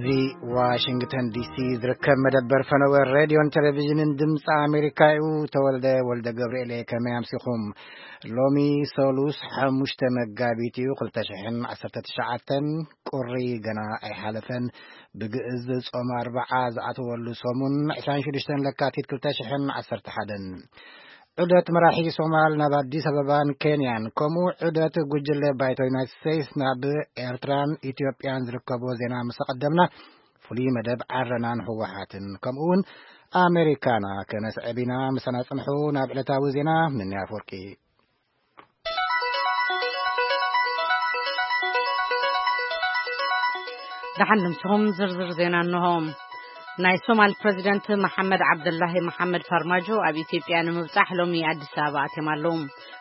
እዚ ዋሽንግተን ዲሲ ዝርከብ መደበር ፈነወ ሬድዮን ቴሌቪዥንን ድምፂ ኣሜሪካ እዩ። ተወልደ ወልደ ገብርኤል እየ። ከመይ ኣምሲኹም? ሎሚ ሰሉስ ሓሙሽተ መጋቢት እዩ፣ ክልተ ሽሕን ዓሰርተ ትሽዓተን። ቁሪ ገና ኣይሓለፈን። ብግእዝ ጾም ኣርብዓ ዝኣተወሉ ሰሙን ዕስራን ሽዱሽተን ለካቲት ክልተ ሽሕን ዓሰርተ ሓደን። ዑደት መራሒ ሶማል ናብ ኣዲስ ኣበባን ኬንያን፣ ከምኡ ዑደት ጉጅለ ባይቶ ዩናይትድ ስቴትስ ናብ ኤርትራን ኢትዮጵያን ዝርከቦ ዜና ምስ ኣቐደምና፣ ፍሉይ መደብ ዓረናን ህወሓትን፣ ከምኡ እውን ኣሜሪካና ከነስዕብ ኢና። ምሳና ጽንሑ። ናብ ዕለታዊ ዜና፣ ምንያ ኣፈወርቂ። ደሓን ድምስኹም። ዝርዝር ዜና እንሆ። ናይ ሶማል ፕረዚደንት መሓመድ ዓብደላሂ መሓመድ ፋርማጆ ኣብ ኢትዮጵያ ንምብጻሕ ሎሚ ኣዲስ ኣበባ ኣትዮም ኣለዉ።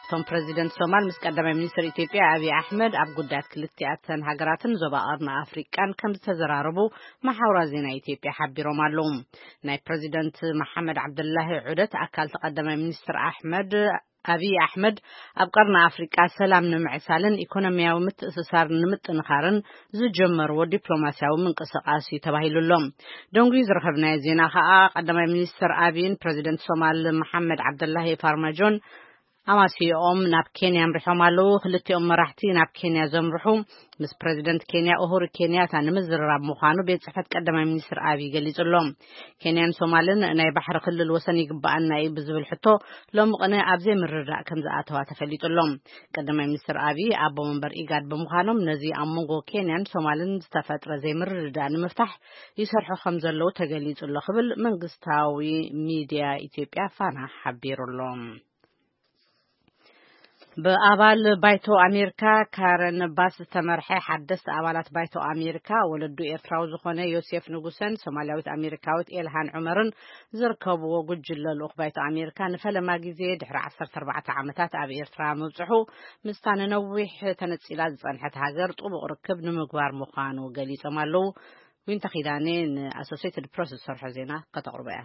እቶም ፕረዚደንት ሶማል ምስ ቀዳማይ ሚኒስትር ኢትዮጵያ ኣብይ ኣሕመድ ኣብ ጉዳያት ክልቲኣተን ሃገራትን ዞባ ቀርኒ ኣፍሪቃን ከም ዝተዘራረቡ መሓውራት ዜና ኢትዮጵያ ሓቢሮም ኣለዉ። ናይ ፕረዚደንት መሓመድ ዓብደላሂ ዑደት ኣካል እቲ ቀዳማይ ሚኒስትር ኣሕመድ ኣብይ ኣሕመድ ኣብ ቀርኒ ኣፍሪቃ ሰላም ንምዕሳልን ኢኮኖሚያዊ ምትእስሳር ንምጥንኻርን ዝጀመርዎ ዲፕሎማሲያዊ ምንቅስቃስ እዩ ተባሂሉ ኣሎ። ደንጉዩ ዝረኸብናዮ ዜና ከኣ፣ ቀዳማይ ሚኒስትር ኣብይን ፕረዚደንት ሶማል መሓመድ ዓብደላሂ ፋርማጆን ኣማሲኦም ናብ ኬንያ ኣምሪሖም ኣለዉ። ክልቲኦም መራሕቲ ናብ ኬንያ ዘምርሑ ምስ ፕረዚደንት ኬንያ ኡሁሩ ኬንያታ ንምዝርራብ ምዃኑ ቤት ጽሕፈት ቀዳማይ ሚኒስትር ኣብይ ገሊጹ ኣሎ። ኬንያን ሶማልን ናይ ባሕሪ ክልል ወሰን ይግባኣና እዩ ብዝብል ሕቶ ሎሚ ቅነ ኣብ ዘይምርድዳእ ከም ዝኣተዋ ተፈሊጡ ኣሎ። ቀዳማይ ሚኒስትር ኣብይ ኣቦ መንበር ኢጋድ ብምዃኖም፣ ነዚ ኣብ መንጎ ኬንያን ሶማልን ዝተፈጥረ ዘይምርድዳእ ንምፍታሕ ይሰርሑ ከም ዘለዉ ተገሊጹ ኣሎ ክብል መንግስታዊ ሚድያ ኢትዮጵያ ፋና ሓቢሩ ኣሎ። ብኣባል ባይቶ ኣሜሪካ ካረን ባስ ዝተመርሐ ሓደስቲ ኣባላት ባይቶ ኣሜሪካ፣ ወለዱ ኤርትራዊ ዝኾነ ዮሴፍ ንጉሰን ሶማልያዊት ኣሜሪካዊት ኤልሃን ዑመርን ዝርከብዎ ጉጅለ ልኡኽ ባይቶ ኣሜሪካ ንፈለማ ግዜ ድሕሪ ዓሰርተ ኣርባዕተ ዓመታት ኣብ ኤርትራ ምብጽሑ፣ ምስታ ንነዊሕ ተነጺላ ዝጸንሐት ሃገር ጥቡቕ ርክብ ንምግባር ምዃኑ ገሊጾም ኣለዉ። ዊንታ ኪዳኔ ንኣሶሴትድ ፕረስ ዝሰርሖ ዜና ከተቕርቦ እያ።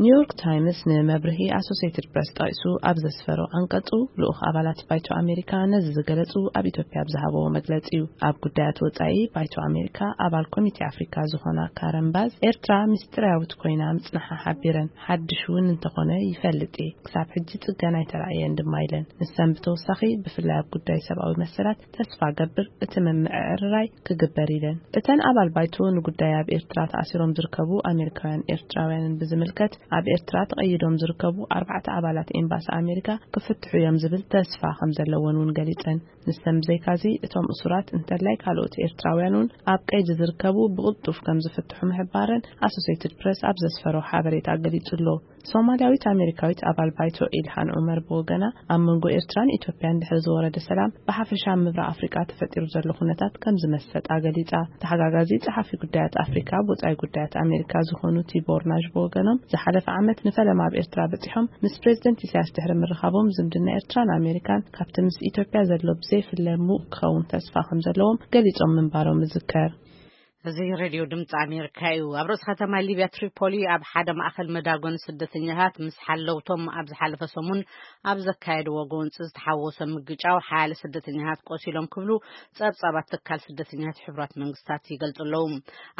ኒውዮርክ ታይምስ ንመብርሂ ኣሶሴትድ ፕረስ ጠቒሱ ኣብ ዘስፈሮ ዓንቀጹ፣ ልኡኽ ኣባላት ባይቶ ኣሜሪካ ነዚ ዝገለጹ ኣብ ኢትዮጵያ ኣብ ዝሃበዎ መግለጺ እዩ። ኣብ ጉዳያት ወጻኢ ባይቶ ኣሜሪካ ኣባል ኮሚቴ ኣፍሪካ ዝኾና ካረን ባዝ፣ ኤርትራ ምስጢራዊት ኮይና ምጽንሓ ሓቢረን፣ ሓድሽ እውን እንተኾነ ይፈልጥ እየ፣ ክሳብ ሕጂ ጽገና ኣይተራእየን ድማ ኢለን። ንሰን ብተወሳኺ ብፍላይ ኣብ ጉዳይ ሰብኣዊ መሰላት ተስፋ ገብር እቲ ምምዕርራይ ክግበር ኢለን። እተን ኣባል ባይቶ ንጉዳይ ኣብ ኤርትራ ተኣሲሮም ዝርከቡ ኣሜሪካውያን ኤርትራውያንን ብዝምልከት፣ ኣብ ኤርትራ ተቐይዶም ዝርከቡ ኣርባዕተ ኣባላት ኤምባሲ ኣሜሪካ ክፍትሑ እዮም ዝብል ተስፋ ከም ዘለወን እውን ገሊጸን። ንሰን ብዘይካዚ እቶም እሱራት እንተላይ ካልኦት ኤርትራውያን እውን ኣብ ቀይዲ ዝርከቡ ብቕልጡፍ ከም ዝፍትሑ ምሕባረን ኣሶሴትድ ፕረስ ኣብ ዘስፈሮ ሓበሬታ ገሊጹ ኣሎ። ሶማልያዊት ኣሜሪካዊት ኣባል ባይቶ ኢልሃን ዑመር ብወገና፣ ኣብ መንጎ ኤርትራን ኢትዮጵያን ድሕሪ ዝወረደ ሰላም ብሓፈሻ ኣብ ምብራቕ ኣፍሪቃ ተፈጢሩ ዘሎ ኩነታት ከም ዝመሰጣ ገሊጻ። ተሓጋጋዚ ጸሓፊ ጉዳያት ኣፍሪካ ብወጻኢ ጉዳያት ኣሜሪካ ዝኾኑ ቲቦር ናዥ ብወገኖም፣ ዝሓለፈ ዓመት ንፈለማ ኣብ ኤርትራ በጺሖም ምስ ፕሬዚደንት ኢሳያስ ድሕሪ ምርኻቦም፣ ዝምድና ኤርትራን ኣሜሪካን ካብቲ ምስ ኢትዮጵያ ዘሎ ብዘይፍለ ሙቕ ክኸውን ተስፋ ከም ዘለዎም ገሊጾም ምንባሮም ይዝከር። እዚ ሬድዮ ድምፂ ኣሜሪካ እዩ። ኣብ ርእሲ ከተማ ሊብያ ትሪፖሊ ኣብ ሓደ ማእኸል መዳጎኒ ስደተኛታት ምስ ሓለውቶም ኣብ ዝሓለፈ ሰሙን ኣብ ዘካየድዎ ጎንፂ ዝተሓወሰ ምግጫው ሓያለ ስደተኛታት ቆሲሎም ክብሉ ጸብጻባት ትካል ስደተኛታት ሕቡራት መንግስታት ይገልጹ ኣለዉ።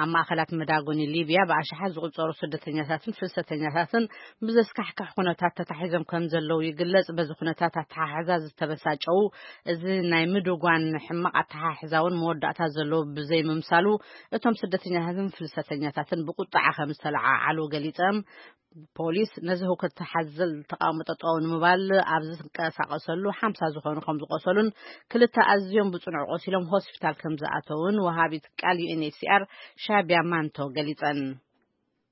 ኣብ ማእኸላት መዳጎኒ ሊብያ ብኣሽሓት ዝቑጸሩ ስደተኛታትን ፍልሰተኛታትን ብዘስካሕክሕ ኩነታት ተታሒዞም ከም ዘለዉ ይግለጽ። በዚ ኩነታት ኣተሓሕዛ ዝተበሳጨዉ፣ እዚ ናይ ምድጓን ሕማቕ ኣተሓሕዛ እውን መወዳእታ ዘለዎ ብዘይምምሳሉ፣ እቶም ስደተኛታትን ፍልሰተኛታትን ብቁጥዓ ከም ዝተለዓዓሉ ገሊጾም። ፖሊስ ነዚ ህውከት ሓዘል ተቃውሞ ጠጠው ንምባል ኣብ ዝንቀሳቐሰሉ ሓምሳ ዝኾኑ ከም ዝቆሰሉን ክልተ ኣዝዮም ብጽኑዕ ቆሲሎም ሆስፒታል ከም ዝኣተውን ወሃቢት ቃል ዩ ኤን ኤች ሲ ኣር ሻቢያ ማንቶ ገሊጸን።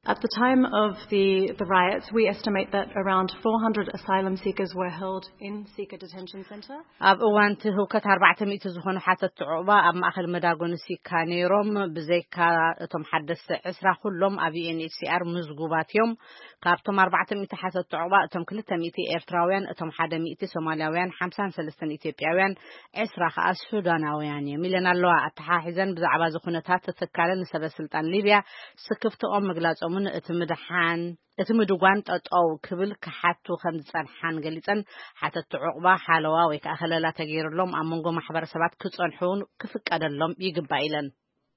At the time of the, the riots, we estimate that around four hundred asylum seekers were held in Sika Detention Centre. ኣብ እዋን እቲ ህውከት ኣርባዕተ ሚእቲ ዝኾኑ ሓተትቲ ዑቕባ ኣብ ማእኸል መዳጎኒ ሲካ ነይሮም። ብዘይካ እቶም ሓደስቲ ዕስራ ኩሎም ኣብ ዩ ኤን ኤች ሲ ኣር ምዝጉባት እዮም። ካብቶም ኣርባዕተ ሚእቲ ሓተትቲ ዑቕባ እቶም ክልተ ሚእቲ ኤርትራውያን፣ እቶም ሓደ ሚእቲ ሶማልያውያን፣ ሓምሳን ሰለስተን ኢትዮጵያውያን፣ ዕስራ ከኣ ሱዳናውያን እዮም ኢለን ኣለዋ። ኣተሓሒዘን ብዛዕባ እዚ ኩነታት ትካለን ንሰበ ስልጣን ሊብያ ስክፍትኦም ምግላጾምን እቲ ምድሓን እቲ ምድጓን ጠጠው ክብል ክሓቱ ከም ዝጸንሓን ገሊጸን፣ ሓተትቲ ዑቕባ ሓለዋ ወይ ከኣ ከለላ ተገይርሎም ኣብ መንጎ ማሕበረሰባት ክጸንሑ እውን ክፍቀደሎም ይግባእ ኢለን።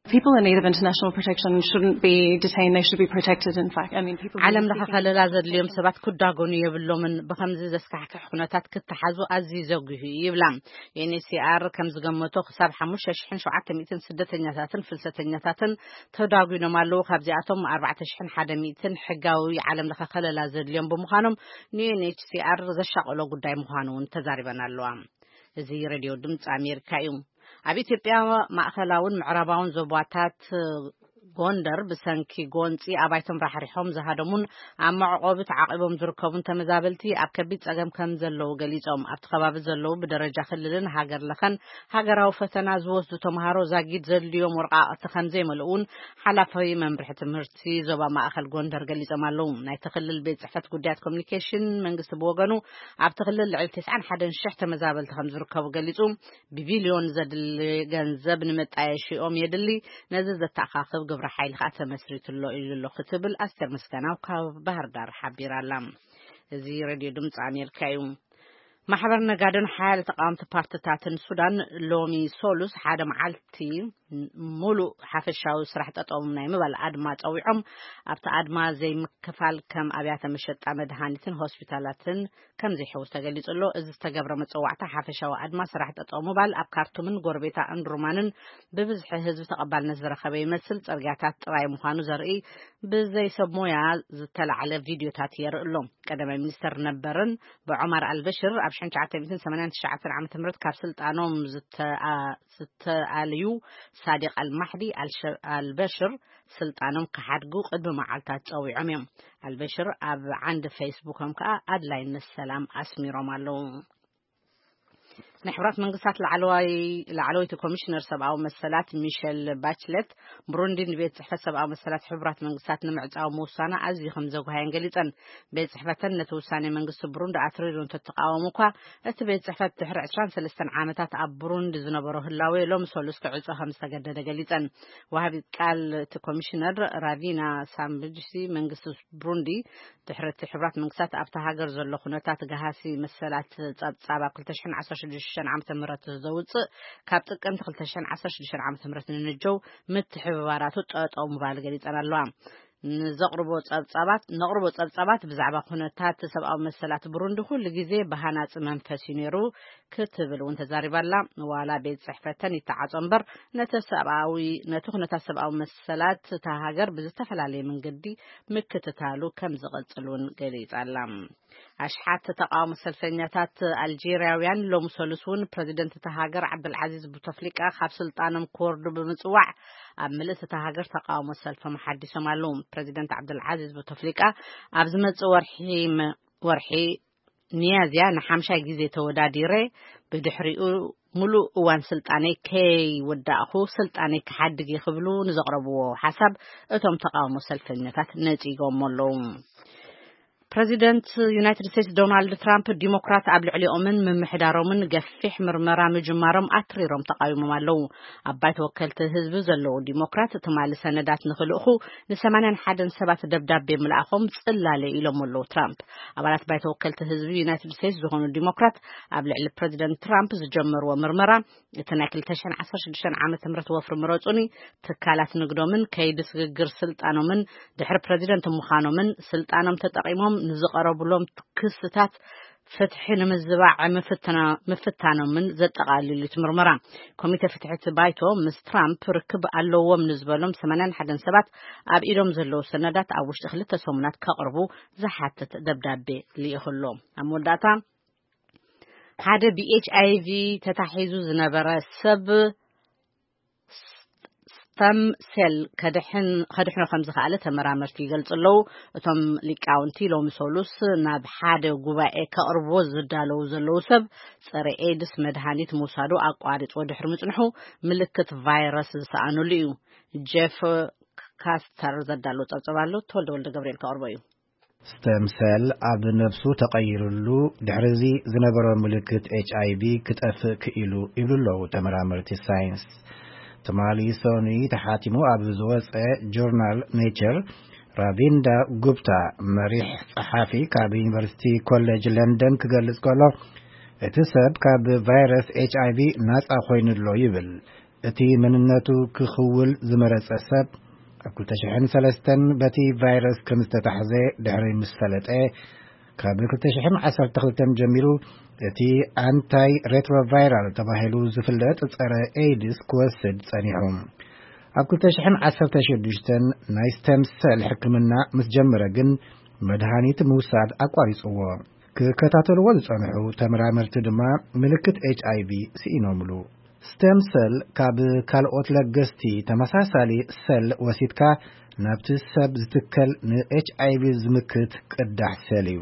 People in need of international protection shouldn't be detained. They should be protected, in fact. I mean, people who are ዓለም ለኸ seeking ከለላ ዘድልዮም ሰባት ክዳጎኑ የብሎምን። ብኸምዚ ዘስካሕክሕ ኩነታት ክተሓዙ ኣዝዩ ዘጉሂ እዩ ይብላ። ዩ ኤን ኤች ሲ ኣር ከም ዝገመቶ ክሳብ ሓሙሽተ ሽሕን ሸውዓተ ሚእትን ስደተኛታትን ፍልሰተኛታትን ተዳጒኖም ኣለዉ። ካብዚኣቶም ኣርባዕተ ሽሕን ሓደ ሚእትን ሕጋዊ ዓለም ለኸ ከለላ ዘድልዮም ብምዃኖም ን ዩ ኤን ኤች ሲ ኣር ዘሻቐሎ ጉዳይ ምዃኑ እውን ተዛሪበን ኣለዋ። እዚ ሬድዮ ድምፂ ኣሜሪካ እዩ። ኣብ ኢትዮጵያ ማእኸላውን ምዕራባውን ዞባታት ጎንደር ብሰንኪ ጎንፂ ኣባይቶም ራሕሪሖም ዝሃደሙን ኣብ መዕቆቢ ተዓቂቦም ዝርከቡን ተመዛበልቲ ኣብ ከቢድ ፀገም ከም ዘለዉ ገሊፆም። ኣብቲ ከባቢ ዘለዉ ብደረጃ ክልልን ሃገር ለኸን ሃገራዊ ፈተና ዝወስዱ ተምሃሮ ዛጊድ ዘድልዮም ወረቃቕቲ ከም ዘይመልኡ እውን ሓላፊ መምርሒ ትምህርቲ ዞባ ማእኸል ጎንደር ገሊፆም ኣለዉ። ናይቲ ክልል ቤት ፅሕፈት ጉዳያት ኮሚኒኬሽን መንግስቲ ብወገኑ ኣብቲ ክልል ልዕሊ ተስዓን ሓደን ሽሕ ተመዛበልቲ ከም ዝርከቡ ገሊፁ። ብቢልዮን ዘድሊ ገንዘብ ንመጣየሺኦም የድሊ፣ ነዚ ዘተኣኻኽብ ግብረ ሓይሊ ከዓ ተመስሪቱ ኣሎ ኢሉ ኣሎ ክትብል ኣስቴር ምስጋናው ካብ ባህር ዳር ሓቢራ ኣላ። እዚ ሬድዮ ድምፂ ኣሜሪካ እዩ። ማሕበር ነጋዶን ሓያለ ተቃወምቲ ፓርትታትን ሱዳን ሎሚ ሶሉስ ሓደ መዓልቲ ሙሉእ ሓፈሻዊ ስራሕ ጠጠው ናይ ምባል ኣድማ ጸዊዖም። ኣብቲ ኣድማ ዘይምክፋል ከም ኣብያተ መሸጣ መድሃኒትን ሆስፒታላትን ከም ዘይሕውስ ተገሊጹ ኣሎ። እዚ ዝተገብረ መጸዋዕታ ሓፈሻዊ ኣድማ ስራሕ ጠጠው ምባል ኣብ ካርቱምን ጎረቤታ እንድሩማንን ብብዝሒ ህዝቢ ተቐባልነት ዝረኸበ ይመስል። ጽርግያታት ጥራይ ምዃኑ ዘርኢ ብዘይ ሰብ ሞያ ዝተላዕለ ቪድዮታት የርኢ ኣሎ። ቀዳማይ ሚኒስተር ነበርን ብዑማር ኣልበሽር ኣብ ሽሕን ትሽዓተ ሚእትን ሰማንያን ትሽዓተን ዓመተ ምህረት ካብ ስልጣኖም ዝተኣ- ዝተኣልዩ ሳዲቅ ኣልማሕዲ ኣልሸ- ኣልበሽር ስልጣኖም ክሓድጉ ቅድሚ መዓልታት ጸዊዖም እዮም። ኣልበሽር ኣብ ዓንዲ ፌስቡኮም ከኣ ኣድላይነት ሰላም ኣስሚሮም ኣለዉ። ናይ ሕቡራት መንግስታት ላዕለዋይ ላዕለወይቲ ኮሚሽነር ሰብኣዊ መሰላት ሚሸል ባችለት ብሩንዲ ንቤት ጽሕፈት ሰብኣዊ መሰላት ሕቡራት መንግስታት ንምዕጻው ምውሳና ኣዝዩ ከም ዘጉሃየን ገሊጸን። ቤት ጽሕፈተን ነቲ ውሳኔ መንግስቲ ብሩንዲ ኣትሪሩ እንተተቃወሙ እኳ እቲ ቤት ጽሕፈት ድሕሪ ዕስራን ሰለስተን ዓመታት ኣብ ብሩንዲ ዝነበሮ ህላዌ ሎሚ ሰሉስ ክዕጾ ከም ዝተገደደ ገሊጸን። ወሃቢት ቃል እቲ ኮሚሽነር ራቪና ሳምብጅሲ መንግስቲ ብሩንዲ ድሕሪ እቲ ሕቡራት መንግስታት ኣብታ ሃገር ዘሎ ኩነታት ገሃሲ መሰላት ጸብጻብ ኣብ ክልተ ሽሕን ዓሰርተ ሽዱሽተን ዓመተ ምህረት ዘውጽእ ካብ ጥቅምቲ ክልተ ሽሕን ዓሰርተ ሽዱሽተን ዓመተ ምህረት ንንጀው ምትሕብባራቱ ጠጠው ምባል ገሊጸን ኣለዋ። ንዘቕርቦ ጸብጻባት ነቕርቦ ጸብጻባት ብዛዕባ ኩነታት ሰብኣዊ መሰላት ብሩንዲ ኩሉ ግዜ ብሃናጺ መንፈስ እዩ ነይሩ ክትብል እውን ተዛሪባ ኣላ። ዋላ ቤት ጽሕፈተን ይተዓጾ እምበር ነቲ ሰብኣዊ ነቲ ኩነታት ሰብኣዊ መሰላት እታ ሃገር ብዝተፈላለየ መንገዲ ምክትታሉ ከም ዝቐጽል እውን ገሊጻ ኣላ። ኣሽሓት ተቃውሞ ሰልፈኛታት ኣልጄርያውያን ሎም ሰሉስ እውን ፕረዚደንት እታ ሃገር ዓብደልዓዚዝ ቡተፍሊቃ ካብ ስልጣኖም ክወርዱ ብምጽዋዕ ኣብ ምልእቲ እታ ሃገር ተቃውሞ ሰልፎም ሓዲሶም ኣለዉ። ፕረዚደንት ዓብደልዓዚዝ ቡተፍሊቃ ኣብ ዝመጽእ ወርሒ መ- ወርሒ ሚያዝያ ንሓምሻይ ግዜ ተወዳዲረ ብድሕሪኡ ሙሉእ እዋን ስልጣነይ ከይወዳእኹ ስልጣነይ ክሓድግ እየ ክብሉ ንዘቕረብዎ ሓሳብ እቶም ተቃውሞ ሰልፈኛታት ነጺጎሞ ኣለዉ። ፕረዚደንት ዩናይትድ ስቴትስ ዶናልድ ትራምፕ ዲሞክራት ኣብ ልዕሊኦምን ምምሕዳሮምን ገፊሕ ምርመራ ምጅማሮም ኣትሪሮም ተቃዊሞም ኣለዉ። ኣብ ባይቶ ወከልቲ ህዝቢ ዘለዉ ዲሞክራት ትማሊ ሰነዳት ንክልእኹ ንሰማንያን ሓደን ሰባት ደብዳቤ ምልኣኾም ጽላለ ኢሎም ኣለዉ ትራምፕ። ኣባላት ባይቶ ወከልቲ ህዝቢ ዩናይትድ ስቴትስ ዝኾኑ ዲሞክራት ኣብ ልዕሊ ፕረዚደንት ትራምፕ ዝጀመርዎ ምርመራ እቲ ናይ ክልተ ሽሕን ዓሰርተ ሽዱሽተን ዓመተ ምህረት ወፍሪ ምረጹኒ ትካላት ንግዶምን ከይዲ ስግግር ስልጣኖምን ድሕሪ ፕረዚደንት ምዃኖምን ስልጣኖም ተጠቒሞም ንዝቐረቡሎም ክስታት ፍትሒ ንምዝባዕ ምፍትና- ምፍታኖምን ዘጠቓልል እዩ እቲ ምርመራ። ኮሚተ ፍትሒ እቲ ባይቶ ምስ ትራምፕ ርክብ ኣለዎም ንዝበሎም ሰማንያን ሓደን ሰባት ኣብ ኢዶም ዘለዉ ሰነዳት ኣብ ውሽጢ ክልተ ሰሙናት ከቕርቡ ዝሓትት ደብዳቤ ልኢኹ ኣሎ። ኣብ መወዳእታ ሓደ ብ ኤች ኣይ ቪ ተታሒዙ ዝነበረ ሰብ ስተም ሴል ከድሕን- ከድሕኖ ከም ዝኸኣለ ተመራመርቲ ይገልጹ ኣለዉ። እቶም ሊቃውንቲ ሎሚ ሰሉስ ናብ ሓደ ጉባኤ ከቕርብዎ ዝዳለዉ ዘለዉ ሰብ ጸረ ኤድስ መድሃኒት ምውሳዱ ኣቋሪጽዎ ድሕሪ ምጽንሑ ምልክት ቫይረስ ዝሰኣነሉ እዩ። ጄፍ ካስተር ዘዳለዎ ጸብጸብ ኣሎ። ተወልደ ወልደ ገብርኤል ከቕርቦ እዩ። ስተም ሴል ኣብ ነብሱ ተቐይርሉ ድሕሪዚ ዝነበሮ ምልክት ኤች ኣይ ቪ ክጠፍእ ክኢሉ ይብሉ ኣለዉ ተመራመርቲ ሳይንስ። ትማሊ ሰኑይ ተሓቲሙ ኣብ ዝወፀ ጆርናል ኔቸር ራቪንዳ ጉፕታ መሪሕ ጸሓፊ ካብ ዩኒቨርሲቲ ኮሌጅ ለንደን ክገልጽ ከሎ እቲ ሰብ ካብ ቫይረስ ኤች ኣይ ቪ ናጻ ኮይኑሎ ይብል። እቲ መንነቱ ክኽውል ዝመረጸ ሰብ፣ ኣብ ክልተ ሽሕን ሰለስተን በቲ ቫይረስ ከም ዝተታሕዘ ድሕሪ ምስ ፈለጠ፣ ካብ ክልተ ሽሕን ዓሰርተ ክልተን ጀሚሩ እቲ ኣንታይ ሬትሮቫይራል ተባሂሉ ዝፍለጥ ጸረ ኤድስ ክወስድ ጸኒሑ። ኣብ ክልተ ሽሕን ዓሰርተ ሽዱሽተን ናይ ስቴም ሰል ሕክምና ምስ ጀመረ ግን፣ መድሃኒት ምውሳድ ኣቋሪጽዎ። ክከታተልዎ ዝጸንሑ ተመራመርቲ ድማ ምልክት ኤች ኣይ ቪ ስኢኖምሉ። ስቴም ሰል ካብ ካልኦት ለገስቲ ተመሳሳሊ ሰል ወሲድካ ናብቲ ሰብ ዝትከል ን ኤች ኣይ ቪ ዝምክት ቅዳሕ ሰል እዩ።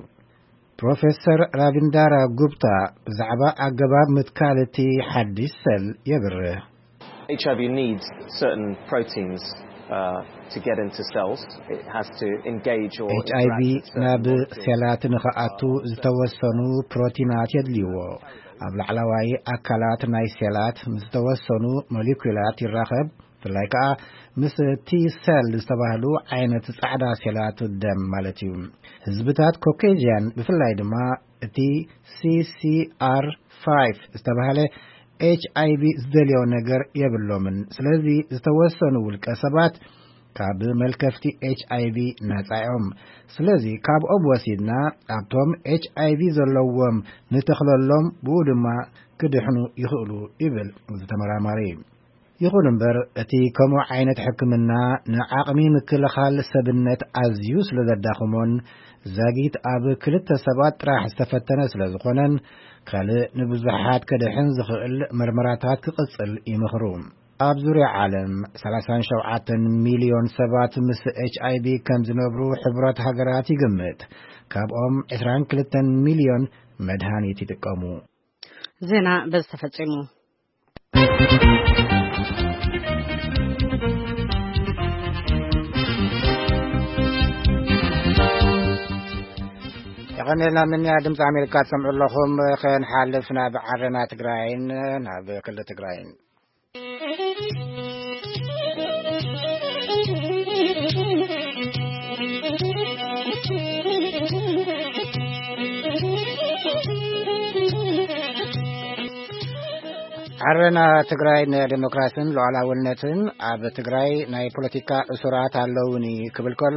ፕሮፌሰር ራቪንዳራ ጉፕታ ብዛዕባ ኣገባብ ምትካል እቲ ሓድሽ ሰል የብርህ። H I V needs certain proteins uh, to get into cells. It has to engage or ኤች ኣይ ቪ ናብ ሴላት ንኽኣቱ ዝተወሰኑ ፕሮቲናት የድልይዎ። ኣብ ላዕለዋይ ኣካላት ናይ ሴላት ምስ ዝተወሰኑ ሞሊኩላት ይራኸብ፣ ብፍላይ ከኣ ምስ ቲ ሰል ዝተባህሉ ዓይነት ጻዕዳ ሴላት ደም ማለት እዩ። ህዝብታት ኮኬዥያን፣ ብፍላይ ድማ እቲ ሲ ሲ ኣር ፋይቭ ዝተባህለ ኤች ኣይ ቪ ዝደልዮ ነገር የብሎምን። ስለዚ ዝተወሰኑ ውልቀ ሰባት ካብ መልከፍቲ ኤች ኣይ ቪ ነጻ እዮም። ስለዚ ካብኦም ወሲድና ኣብቶም ኤች ኣይ ቪ ዘለዎም ንተኽለሎም፣ ብኡ ድማ ክድሕኑ ይኽእሉ ይብል እዚ ተመራማሪ። ይኹን እምበር እቲ ከምኡ ዓይነት ሕክምና ንዓቕሚ ምክልኻል ሰብነት ኣዝዩ ስለ ዘዳኽሞን ዛጊት ኣብ ክልተ ሰባት ጥራሕ ዝተፈተነ ስለ ዝኾነን ካልእ ንብዙሓት ከድሕን ዝኽእል መርመራታት ክቕጽል ይምኽሩ። ኣብ ዙርያ ዓለም ሰላሳን ሸውዓተን ሚልዮን ሰባት ምስ ኤች ኣይ ቪ ከም ዝነብሩ ሕቡራት ሃገራት ይግምት። ካብኦም ዕስራን ክልተን ሚልዮን መድሃኒት ይጥቀሙ። ዜና በዚ ተፈጺሙ። የቐኔልና ምንያ ድምፂ ኣሜሪካ ትሰምዑ ኣለኹም። ከንሓልፍ ናብ ዓረና ትግራይን ናብ ክልል ትግራይን። ዓረና ትግራይ ንዴሞክራስን ሉዓላውነትን ኣብ ትግራይ ናይ ፖለቲካ እሱራት ኣለውኒ ክብል ከሎ፣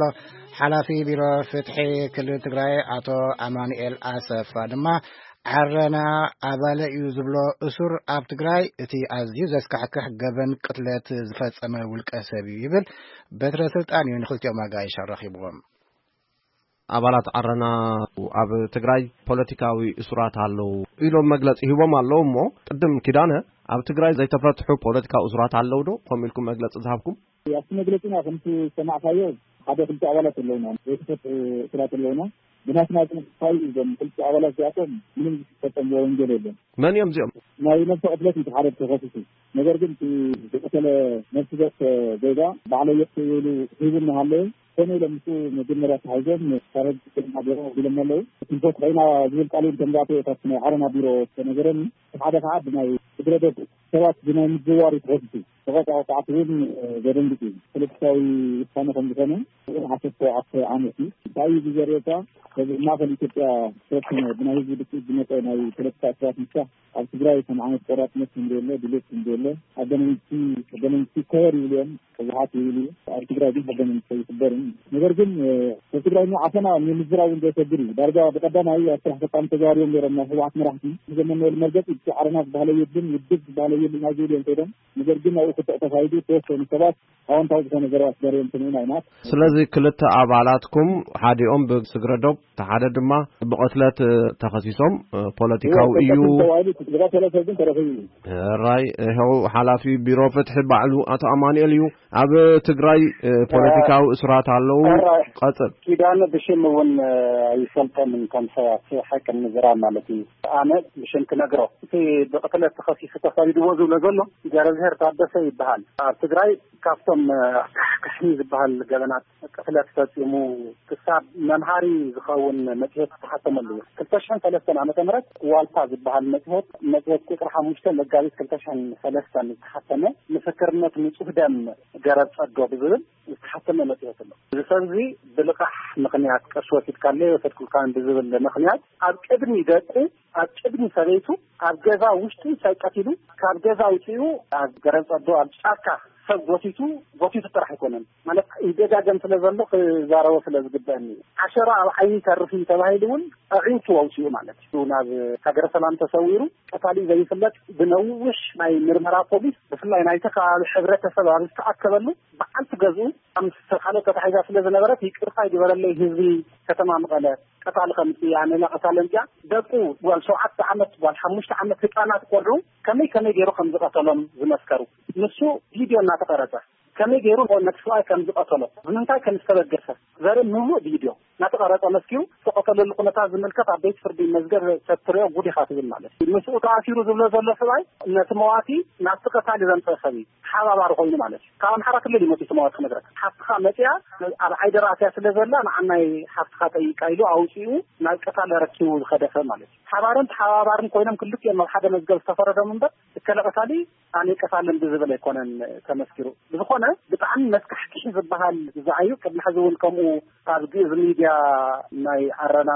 ሓላፊ ቢሮ ፍትሒ ክልል ትግራይ ኣቶ ኣማኑኤል ኣሰፋ ድማ ዓረና ኣባለ እዩ ዝብሎ እሱር ኣብ ትግራይ እቲ ኣዝዩ ዘስካሕክሕ ገበን ቅትለት ዝፈጸመ ውልቀ ሰብ እዩ ይብል። በትረ ስልጣን እዩ ንክልቲኦም ኣጋይሽ ኣራኺብዎም። ኣባላት ዓረና ኣብ ትግራይ ፖለቲካዊ እሱራት ኣለዉ ኢሎም መግለጺ ሂቦም ኣለዉ። እሞ ቅድም ኪዳነ፣ ኣብ ትግራይ ዘይተፈትሑ ፖለቲካዊ እሱራት ኣለዉ ዶ? ከምኡ ኢልኩም መግለጺ ዝሃብኩም? ኣብቲ መግለጺና ከምቲ ዝሰማዕካዮ ሓደ ክልተ ኣባላት ኣለውና፣ ዘይተፈትሑ እሱራት ኣለውና። ብናትና ግን እንታይ እዩ፣ እዞም ክልተ ኣባላት እዚኣቶም ምንም ዝፈጸምዎ ወንጀል የለን። መን እዮም እዚኦም? ናይ ነብሰ ቅትለት እዩ ሓደ ተኸሲሱ። ነገር ግን እቲ ዝቀተለ ነፍሲ ገጽ ዜጋ ባዕለይ እየ ክብል ሂቡ እናሃለወ፣ ኮነ ኢሎም ምስኡ መጀመርያ ተታሒዞም፣ ሰረዝ ክልማ ገይሮም ኣቢሎም ኣለዉ። ክንፈትሖ ኢና ዝብል ቃል እውን ከም ዝኣተወ ካብቲ ናይ ዓረና ቢሮ ዝተነገረኒ። እቲ ሓደ ከዓ ብናይ ስግረ ዶብ ሰባት ብናይ ምዝዋር እዩ ተኸሲሱ። ተቐጻ ወጽዓት እውን ዘደንግጽ እዩ። ፖለቲካዊ ውሳነ ከም ዝኾነ እውን ዓሰርተ ሸውዓተ ዓመት እዩ። እንታይ እዩ እዚ ዘርእየካ? እዚ ማእከል ኢትዮጵያ ዝተወሰነ ብናይ ህዝቢ ድፍኢት ዝመጸ ናይ ፖለቲካ እስራት ምፍታሕ ኣብ ትግራይ ከም ዓይነት ቆራጽነት ከም ዘየለ፣ ድሌት ከም ዘየለ፣ ሕገ መንግስቲ፣ ሕገ መንግስቲ ይከበር ይብሉ እዮም፣ ህወሓት ይብሉ እዩ። ኣብ ትግራይ ግን ሕገ መንግስቲ ኣይክበርን። ነገር ግን፣ እ፣ ኣብ ትግራይ ዓፈና ንምዝራብ እውን ዘሰግር እዩ። ዳርጋ ብቀዳማይ ኣብ ስራሕ ፈጻሚ ተዛዋሪዮም ነይሮም ናይ ህወሓት መራሕቲ። ንዘመንበሉ መርገጺ እቲ ዓረና ዝበሃለ የብልን፣ ውድብ ዝበሃለ የብልን፣ ኣብ ዝብል እዮም ከይዶም። ነገር ግን ኣብኡ ክትዕ ተኻይዱ፣ ዝተወሰኑ ሰባት ኣወንታዊ ዝኾነ ዘረባ ተዛሪቦም ሰሚዕና ኢና። ስለዚ ክልተ ኣባላትኩም፣ ሓዲኦም ብስግረ ዶብ፣ እቲ ሓደ ድማ ብቕትለት ተኸሲሶም፣ ፖለቲካዊ እዩ። ተባሂሉ ዝቐተለ ሰብ ግን ተረኺቡ እዩ። ሕራይ፣ ይኸው ሓላፊ ቢሮ ፍትሒ ባዕሉ ኣቶ ኣማኑኤል እዩ። ኣብ ትግራይ ፖለቲካዊ እሱራት ኣለዉ። ሕራይ። ቀጽል። ኪዳነ ብሽም እውን ኣይፈልጠንን፣ ከም ሰብ ሓቂ ንምዝራብ ማለት እዩ። ኣነ ብሽም ክነግሮ፣ እቲ ብቕትለት ተኸሲሱ ተሳዲድዎ ዝብሎ ዘሎ ገብረዝሄር ታደሰ ይበሃል። ኣብ ትግራይ ካብቶም ክሕኒ ዝበሃል ገበናት ቅትለት ፈጺሙ ክሳብ መምሃሪ ዝኸውን መጽሔት ዝተሓተመሉ እዩ። ክልተ ሽሕን ሰለስተን ዓመተ ምህረት ዋልታ ዝበሃል መጽሔት፣ መጽሔት ቁጽሪ ሓሙሽተ መጋቢት ክልተ ሽሕን ሰለስተን ዝተሓተመ፣ ምስክርነት ንጹህ ደም ገረብ ጸዶ ብዝብል ዝተሓተመ መጽሔት ኣሎ። እዚ ሰብ እዚ ብልቓሕ ምኽንያት ቀሺ ወሲድካለይ ወሰድኩልካን ብዝብል ምኽንያት ኣብ ቅድሚ ደቁ፣ ኣብ ቅድሚ ሰበይቱ፣ ኣብ ገዛ ውሽጢ ሰብ ቀቲሉ፣ ካብ ገዛ ኣውጺኡ ኣብ ገረብ ጸዶ ኣብ ጫካ ሰብ ጎቲቱ፣ ጎቲቱ ጥራሕ ኣይኮነን። ማለት ይደጋገም ስለ ዘሎ ክዛረቦ ስለ ዝግበአኒ። ዓሸራ ኣብ ዓይኒ ይተርፍ እዩ ተባሂሉ እውን ኣዒንቱ ኣውጺኡ ማለት እዩ። ናብ ሃገረ ሰላም ተሰዊሩ፣ ቀታሊ ዘይፍለጥ ብነዊሕ ናይ ምርመራ ፖሊስ፣ ብፍላይ ናይቲ ከባቢ ሕብረተሰብ ኣብ ዝተኣከበሉ፣ በዓልቲ ገዝኡ ምስ ካልኦት ተታሒዛ ስለ ዝነበረት፣ ይቅርታ ይግበረለይ ህዝቢ ከተማ መቐለ፣ ቀታሊ ከምጽእ እያ፣ ኣነ ቀታሊ ኣምጽኣ፣ ደቁ ጓል ሸውዓተ ዓመት፣ ጓል ሓሙሽተ ዓመት ህጻናት ቆልዑ ከመይ ከመይ ገይሩ ከም ዝቐተሎም ዝመስከሩ። ንሱ ቪድዮ እናተቐረጸ ከመይ ገይሩ ነቲ ሰብኣይ ከም ዝቐተሎ፣ ብምንታይ ከም ዝተበገሰ ዘርኢ ምሉእ ቪድዮ እናተቐረጸ መስኪሩ ዝተቐተለሉ ኩነታት ዝምልከት ኣብ ቤት ፍርዲ መዝገብ ተትሪኦ ጉድ ኢኻ ትብል ማለት እዩ። ምስኡ ተኣሲሩ ዝብሎ ዘሎ ሰብኣይ ነቲ መዋቲ ናብቲ ቀታሊ ዘምጸ ሰብ እዩ። ተሓባባሪ ኮይኑ ማለት እዩ። ካብ ኣምሓራ ክልል እዩ መፂኡ መዋቲ ክነግረካ። ሓፍትኻ መፂኣ ኣብ ዓይዲ ራእሲያ ስለ ዘላ ንዓናይ ሓፍትኻ ጠይቃ ኢሉ ኣውፂኡ ናብ ቀታሊ ረኪቡ ዝኸደ ሰብ ማለት እዩ። ሓባርን ተሓባባርን ኮይኖም ክልቲኦም ኣብ ሓደ መዝገብ ዝተፈረዶም እምበር እከለ ቀታሊ ኣነ ቀታልን ብዝብል ኣይኮነን ተመስኪሩ። ብዝኾነ ብጣዕሚ መስካሕክሒ ዝበሃል ዝዓዩ ቅድሚ ሕዚ እውን ከምኡ ኣብ ግእዝ ሚድያ ናይ ዓረና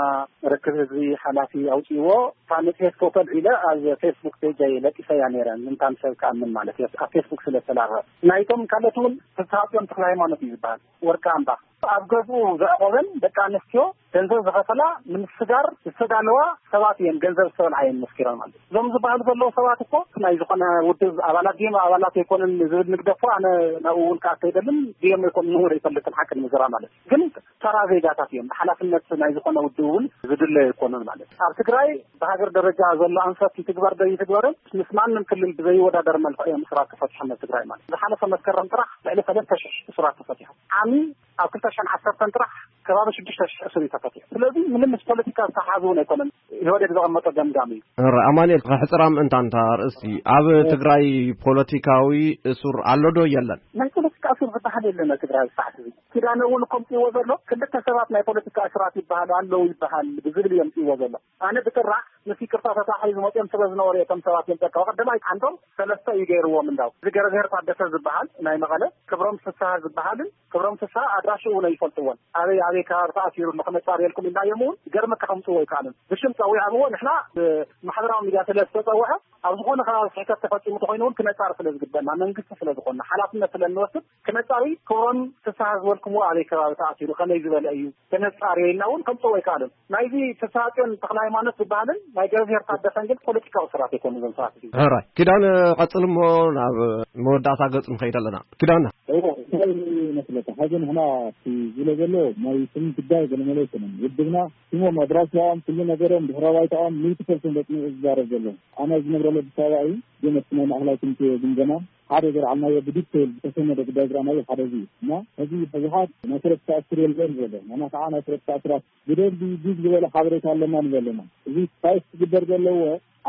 ርክብ ህዝቢ ሓላፊ ኣውፅዎ። እታ መፅሄት ፎቶ ልዒለ ኣብ ፌስቡክ ፔጀይ ለቂሰያ ነይረ። ምንታን ሰብ ክኣምን ማለት እዩ ኣብ ፌስቡክ ስለ ዝተላበ። ናይቶም ካልኦት እውን ፍስሃፅዮን ተክለ ሃይማኖት እዩ ዝበሃል። ወርቂ ኣምባ ኣብ ገዝኡ ዘዕቆበን ደቂ ኣንስትዮ ገንዘብ ዝኸፈላ ንምስጋር ዝተዳለዋ ሰባት እየን። ገንዘብ ዝተበልዓ እየን መስኪረን ማለት እዩ። እዞም ዝበሃሉ ዘለዉ ሰባት እኮ ናይ ዝኾነ ውድብ ኣባላት ድዮም ኣባላት ኣይኮነን ዝብል ንግደፎ። ኣነ ናብኡ እውን ክኣቱ ኣይደልን። ድዮም ኣይኮኑን እውን ኣይፈልጥን ሓቂ ንምዝራ ማለት እዩ። ግን ተራ ዜጋታት እዮም። ብሓላፍነት ናይ ዝኾነ ውድብ እውን ዝድለዩ ኣይኮኑን ማለት እዩ። ኣብ ትግራይ ብሃገር ደረጃ ዘሎ ኣንፈት ይትግበር ዶ ይትግበርን ምስ ማንም ክልል ብዘይወዳደር መልክዕ እዮም እስራት ተፈቲሖም ኣብ ትግራይ ማለት እዩ። ዝሓለፈ መስከረም ጥራሕ ልዕሊ ሰለስተ ሽሕ እስራት ተፈቲሖም። ዓሚ ኣብ ክልተ ሽሕን ዓሰርተን ጥራሕ ከባቢ ሽዱሽተ ሽሕ እስር እዩ ተፈቲሑ። ስለዚ ምንም ምስ ፖለቲካ ዝተሓሓዝ እውን ኣይኮነን። ኢህወዴግ ዘቐመጦ ገምጋም እዩ። ረ ኣማኑኤል፣ ከሕፅራ ምእንታ እንታ ኣርእስቲ፣ ኣብ ትግራይ ፖለቲካዊ እሱር ኣሎ ዶ የለን? ናይ ፖለቲካ እሱር ዝበሃል የለን ኣብ ትግራይ ሰዓት እዚ። ኪዳነ እውን ከምፅዎ ዘሎ ክልተ ሰባት ናይ ፖለቲካ እሱራት ይበሃሉ ኣለዉ ይበሃል ብዝብል እዮም ፅዎ ዘሎ። ኣነ ብጥራሕ ምስ ይቅርታ ተታሒዙ መፅኦም ስለ ዝነበሩ እቶም ሰባት እዮም ጠቀው። ቀዳማይ ዓንዶም ሰለስተ እዩ ገይርዎም እንዳው። እዚ ገረዝሄር ታደሰ ዝበሃል ናይ መቐለ፣ ክብሮም ፍስሃ ዝበሃልን ክብሮም ፍስሃ ኣድራሽኡ እውን ኣይፈልጥዎን። ኣበይ ኣበይ ከባቢ ተኣሲሩ ኣሎ ክነፃርየልኩም ኢልናዮም እውን ገርመካ ከምፅዎ ኣይከኣልን። ብሽም ፀዊዖምዎ ንሕና ብማሕበራዊ ሚድያ ስለ ዝተፀውዐ ኣብ ዝኾነ ከባቢ ስሕተት ተፈፂሙ ተኮይኑ እውን ክነፃር ስለ ዝግበና መንግስቲ ስለ ዝኾንና ሓላፍነት ስለ እንወስድ ክነፃሪ ክብሮም ፍስሃ ዝበልኩምዎ ኣበይ ከባቢ ተኣሲሩ ከመይ ዝበለ እዩ ተነፃርዮ ኢልና እውን ከምፅዎ ኣይከኣልን። ናይዚ ፍስሃፅዮን ተክለ ሃይማኖት ዝበሃልን ናይ ገረዝሄር ታደሰን ግን ፖለቲካዊ ስራት ኣይኮኑ እዞም ሰባት እዚኦም። ሕራይ ኪዳነ ቀፅል እሞ ናብ መወዳእታ ገፅ ንኸይድ ኣለና። ኪዳነ እዎ እንታይ መስለካ፣ ሐዚ ንሕና እቲ ዝብሎ ዘሎ ናይ ስም ጉዳይ ገለመለ ኣይኮነን። ውድብና ስሞም ኣድራሻኦም ኩሉ ነገሮም ድሕረ ባይታኦም ሚእቲ ፐርሰንት ኣጽኒዑ ዝዛረብ ዘሎ። ኣነ ዝነብረሉ ኣዲስ ኣበባ እዩ፣ ግን እቲ ናይ ማእኸላይ ኮሚቴ ግምገማ ሓደ ዘልዓልናዮ ብዲቴይል ዝተሰነደ ጉዳይ ዝረኣናዮ ሓደ እዚ እዩ። እና እዚ ህወሓት ናይ ፖለቲካ እስር የለን ዘሎ፣ ንሕና ከዓ ናይ ፖለቲካ እስራት ብደንቢ ዲግ ዝበለ ሓበሬታ ኣለና ንብል ኣለና። እዚ ፋይት ክግበር ዘለዎ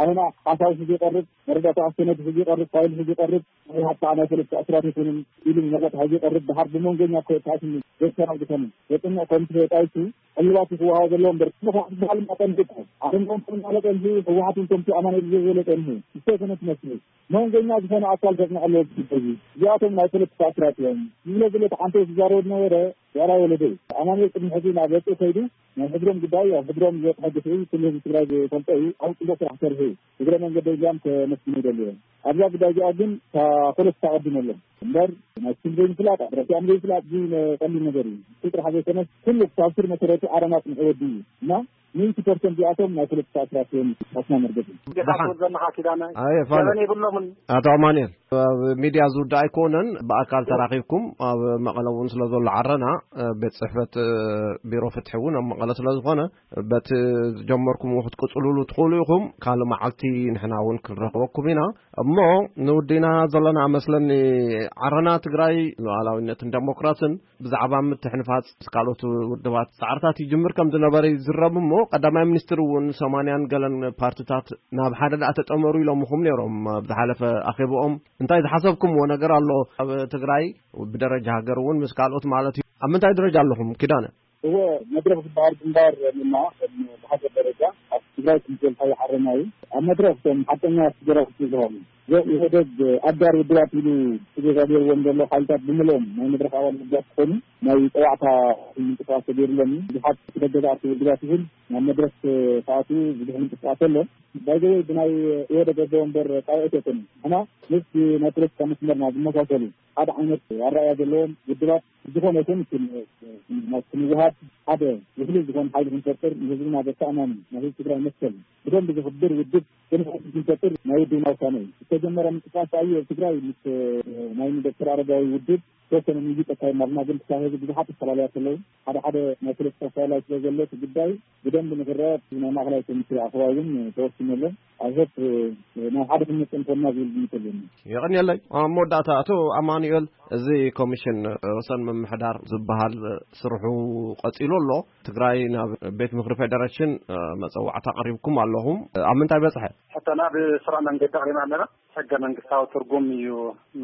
ኣሁና ሓሳብ ህዝቢ ይቐርብ፣ መረዳእታ ሰነድ ህዝቢ ይቐርብ፣ ፋይል ህዝቢ ይቐርብ፣ ህወሓት ከዓ ናይ ፖለቲካ እስራት ይኹንን ኢሉ መረዳእታ ህዝቢ ይቐርብ። ድሓር ብመንጎኛ እኮ ተኣትኒ ዘተናግፈኒ ዘጥንዕ ኮሚቴ ተጣይሱ ዕልባት ክወሃቦ ዘለዎ እምበር ህወሓት ዝበሃል ማጠን ግዳ ኣሁን ኮሚቴ ማለት እንጂ ህወሓት ኮሚቴ ኣማኑኤል ዝበለ ጠንሁ ዝተፈነ ትመስል መንጎኛ ዝኾነ ኣካል ዘጽንዐ ኣለዎ። እዚ እዚኣቶም ናይ ፖለቲካ እስራት እዮም። ዝብለ ዝለ ተሓንተ ዝዛረቡ ዝነበረ ዋላ ወለደ እዩ። ኣማኑኤል ቅድሚ ሕዚ ናብ ወፅኡ ከይዱ ናይ ሕድሮም ጉዳይ ኣብ ሕድሮም ዝበፅሐ ግፍዒ ኩሉ ህዝቢ ትግራይ ዝፈልጦ እዩ። ኣብ ፅቡቅ ስራሕ ሰርሑ እዩ። እግረ መንገደይ እዚኣም ከመስግኑ ይደሊ እዮም። ኣብዛ ጉዳይ እዚኣ ግን እታ ፖለቲካ ቀዲመሎም እምበር ናይ ስም ዘይምፍላጥ ኣድረሲኣም ዘይፍላጥ እዚ ቀሊል ነገር እዩ። እሱ ጥራሕ ዘይኮነስ ኩሉ ክሳብ ስር መሰረቱ ዓረና ፅንሑ ወዲ እዩ እና ሚእቲ ፐርሰንት እዚኣቶም ናይ ፖለቲካ እስራት እዮም። ኣስና መርገፂ። ደሓን ዘለኻ ኪዳነ ኣየ ፋለ ገበን የብሎምን። ኣቶ ኣማኑኤል ኣብ ሚድያ ዝውዳእ ኣይኮነን። ብኣካል ተራኺብኩም ኣብ መቐለ እውን ስለ ዘሎ ዓረና ቤት ፅሕፈት ቢሮ ፍትሒ እውን ኣብ መቐለ ስለ ዝኾነ በቲ ዝጀመርኩምዎ ክትቅፅሉሉ ትኽእሉ ኢኹም። ካልእ መዓልቲ ንሕና እውን ክንረኽበኩም ኢና። እሞ ንውዲና ዘለና መስለኒ ዓረና ትግራይ ሉዓላዊነትን ደሞክራስን ብዛዕባ ምትሕንፋፅ ምስ ካልኦት ውድባት ፃዕርታት ይጅምር ከም ዝነበረ ይዝረብ እሞ ቀዳማይ ሚኒስትር እውን ሰማንያን ገለን ፓርትታት ናብ ሓደ ደኣ ተጠመሩ ኢሎምኹም ነይሮም ኣብ ዝሓለፈ ኣኼብኦም። እንታይ ዝሓሰብኩምዎ ነገር ኣሎ? ኣብ ትግራይ ብደረጃ ሃገር እውን ምስ ካልኦት ማለት እዩ። ኣብ ምንታይ ደረጃ ኣለኹም ኪዳነ? እወ፣ መድረኽ ዝበሃል ግንባር ንና ብሃገር ደረጃ ኣብ ትግራይ ክምዘልታዊ ሓረና እዩ። ኣብ መድረኽ እቶም ሓቀኛ ስደራፍቲ ዝሃሉ ኢህወደግ ኣጋር ውድባት ኢሉ ስደዛ ገይርዎም ዘሎ ሓይልታት ብምሎም ናይ መድረኽ ኣባል ውድባት ክኾኑ ናይ ፀዋዕታ ምንቅስቃስ ተገይርሎም እዩ። ብዙሓት ደገ ዝኣርፉ ውድባት ይኹን ናብ መድረኽ ክኣትዉ ብዙሕ ምንቅስቃስ ኣሎ። ባይዘወይ ብናይ ኢህወደግ ኣቦ ወንበር ጣውዒት የኮኑ። ንሕና ምስ ናይ ፖለቲካ መስመርና ዝመሳሰሉ ሓደ ዓይነት ኣረኣያ ዘለዎም ውድባት ዝኾነ ይኹን ክን- ናብ ክንወሃድ ሓደ ውሕሉል ዝኾነ ሓይሊ ክንፈጥር ንህዝብና ዘተኣማምን ናይ ህዝቢ ትግራይ መሰል ብደንብ ዘኽብር ውድብ ክንፈጥር ናይ ውድብና ውሳነ እዩ። ዝተጀመረ ምንቅስቃስ እዩ። ኣብ ትግራይ ምስ ናይ ዶክተር ኣረጋዊ ውድብ ተወሰነ ምይይጥ ኣካይድና ኣለና፣ ግን ክሳብ ሕዚ ብዙሓት ኣፈላልያት ኣለዉ። ሓደ ሓደ ናይ ፖለቲካ ኣፈላላይ ስለ ዘሎ እቲ ጉዳይ ብደንብ ንክረአ ናይ ማእኸላይ ኮሚቴ ኣኸባ እውን ተወሲኑ ኣሎ። ኣብ ሆፕ ናብ ሓደ ክንመፅእ ንኾንና ዝብል ግምት ኣለኒ። የቐንየለይ። ኣብ መወዳእታ ኣቶ ኣማኑኤል፣ እዚ ኮሚሽን ወሰን ምምሕዳር ዝበሃል ስርሑ ቀፂሉ ኣሎ። ትግራይ ናብ ቤት ምኽሪ ፌደሬሽን መፀዋዕታ ኣቕሪብኩም ኣለኹም። ኣብ ምንታይ በፅሐ? ሕቶና ብስሩዕ መንገዲ ኣቕሪብና ኣለና። ሕገ መንግስታዊ ትርጉም እዩ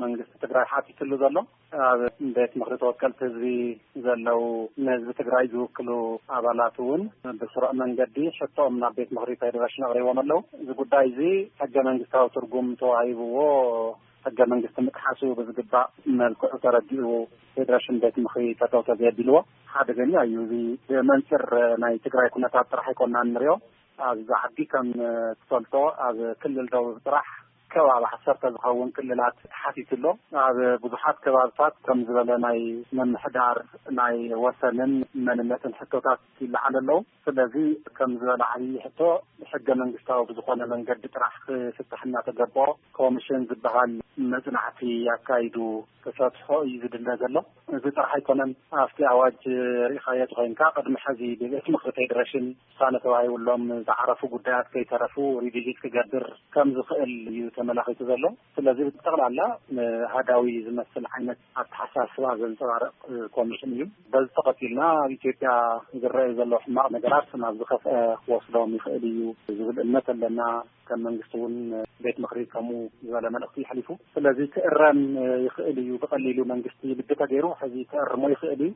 መንግስቲ ትግራይ ሓቲትሉ ዘሎ። ኣብ ቤት ምኽሪ ተወከልቲ ህዝቢ ዘለዉ ንህዝቢ ትግራይ ዝውክሉ ኣባላት እውን ብስሩዕ መንገዲ ሕቶኦም ናብ ቤት ምኽሪ ፌደሬሽን ኣቕሪቦም ኣለዉ። እዚ ጉዳይ እዚ ሕገ መንግስታዊ ትርጉም ተዋሂብዎ ሕገ መንግስቲ ምጥሓሱ ብዝግባእ መልክዑ ተረዲኡ ፌደሬሽን ቤት ምኽሪ ጠጠው ተዘየቢልዎ ሓደገኛ እዩ። እዚ ብመንፅር ናይ ትግራይ ኩነታት ጥራሕ ኣይኮንና እንሪኦ። ኣብዚ ዓዲ ከም ትፈልጦ ኣብ ክልል ደቡብ ጥራሕ ከባቢ ዓሰርተ ዝኸውን ክልላት ተሓቲቱ ኣሎ። ኣብ ብዙሓት ከባብታት ከም ዝበለ ናይ ምምሕዳር ናይ ወሰንን መንነትን ሕቶታት ይለዓል ኣለዉ። ስለዚ ከም ዝበለ ዓብዪ ሕቶ ሕገ መንግስታዊ ብዝኾነ መንገዲ ጥራሕ ክፍታሕ እናተገበኦ ኮሚሽን ዝበሃል መፅናዕቲ ኣካይዱ ክፈትሖ እዩ ዝድለ ዘሎ። እዚ ጥራሕ ኣይኮነን። ኣብቲ ኣዋጅ ርኢኻዮ ተኾይንካ ቅድሚ ሕዚ ብቤት ምኽሪ ፌደሬሽን ውሳነ ተዋሂብሎም ዝዓረፉ ጉዳያት ከይተረፉ ሪቪዚት ክገብር ከም ዝኽእል እዩ ተመላኺቱ ዘሎ። ስለዚ ብጠቕላላ ንኣሃዳዊ ዝመስል ዓይነት ኣተሓሳስባ ዘንጸባርቕ ኮሚሽን እዩ። በዚ ተኸቲልና ኣብ ኢትዮጵያ ዝረኣዩ ዘለዉ ሕማቕ ነገራት ናብ ዝኸፍአ ክወስዶም ይኽእል እዩ ዝብል እምነት ኣለና። ከም መንግስቲ እውን ቤት ምኽሪ ከምኡ ዝበለ መልእኽቲ ይሕሊፉ። ስለዚ ክእረም ይኽእል እዩ፣ ብቐሊሉ መንግስቲ ልቢ ተገይሩ ሕዚ ክእርሞ ይኽእል እዩ።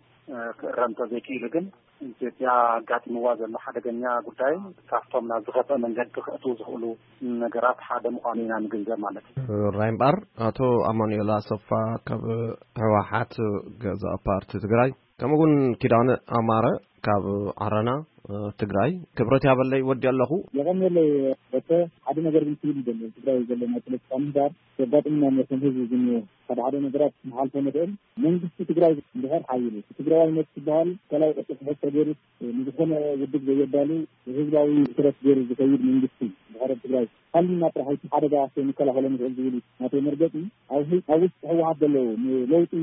ክእረም ተዘይክኢሉ ግን ኢትዮጵያ ኣጋጢምዋ ዘሎ ሓደገኛ ጉዳይ ካብቶም ናብ ዝኸፍአ መንገዲ ክእትዉ ዝኽእሉ ነገራት ሓደ ምዃኑ ኢና ንግንዘብ ማለት እዩ። ራይ እምበኣር ኣቶ ኣማኑኤል ኣሰፋ ካብ ህወሓት ገዛእ ፓርቲ ትግራይ፣ ከምኡ እውን ኪዳነ ኣማረ ካብ ዓረና ትግራይ፣ ክብረት ያበለይ ወዲ ኣለኹ። የቐንየለይ በተ፣ ሓደ ነገር ግን ክብል ይደሊ። ትግራይ ዘሎ ናይ ፖለቲካ ምህዳር ዘጋጥምና ነቶም ህዝቢ ዝኒኦ ሓደ ሓደ ነገራት ንሓልፎ ንኽእል። መንግስቲ ትግራይ እንድሕር ሓይሉ ትግራዋይነት ዝበሃል ከላይ ቅርፂ ክሕዝ ተገይሩ ንዝኾነ ውድብ ዘየዳሉ ህዝባዊ ትረት ገይሩ ዝኸይድ መንግስቲ እንድሕር ኣብ ትግራይ ሃሊና ጥራሕ እቲ ሓደጋ ከይንከላኸሎ ንኽእል ዝብል እዩ ናተይ መርገፂ። ኣብ ህ- ኣብ ውሽጢ ህወሓት ዘለዉ ንለውጢ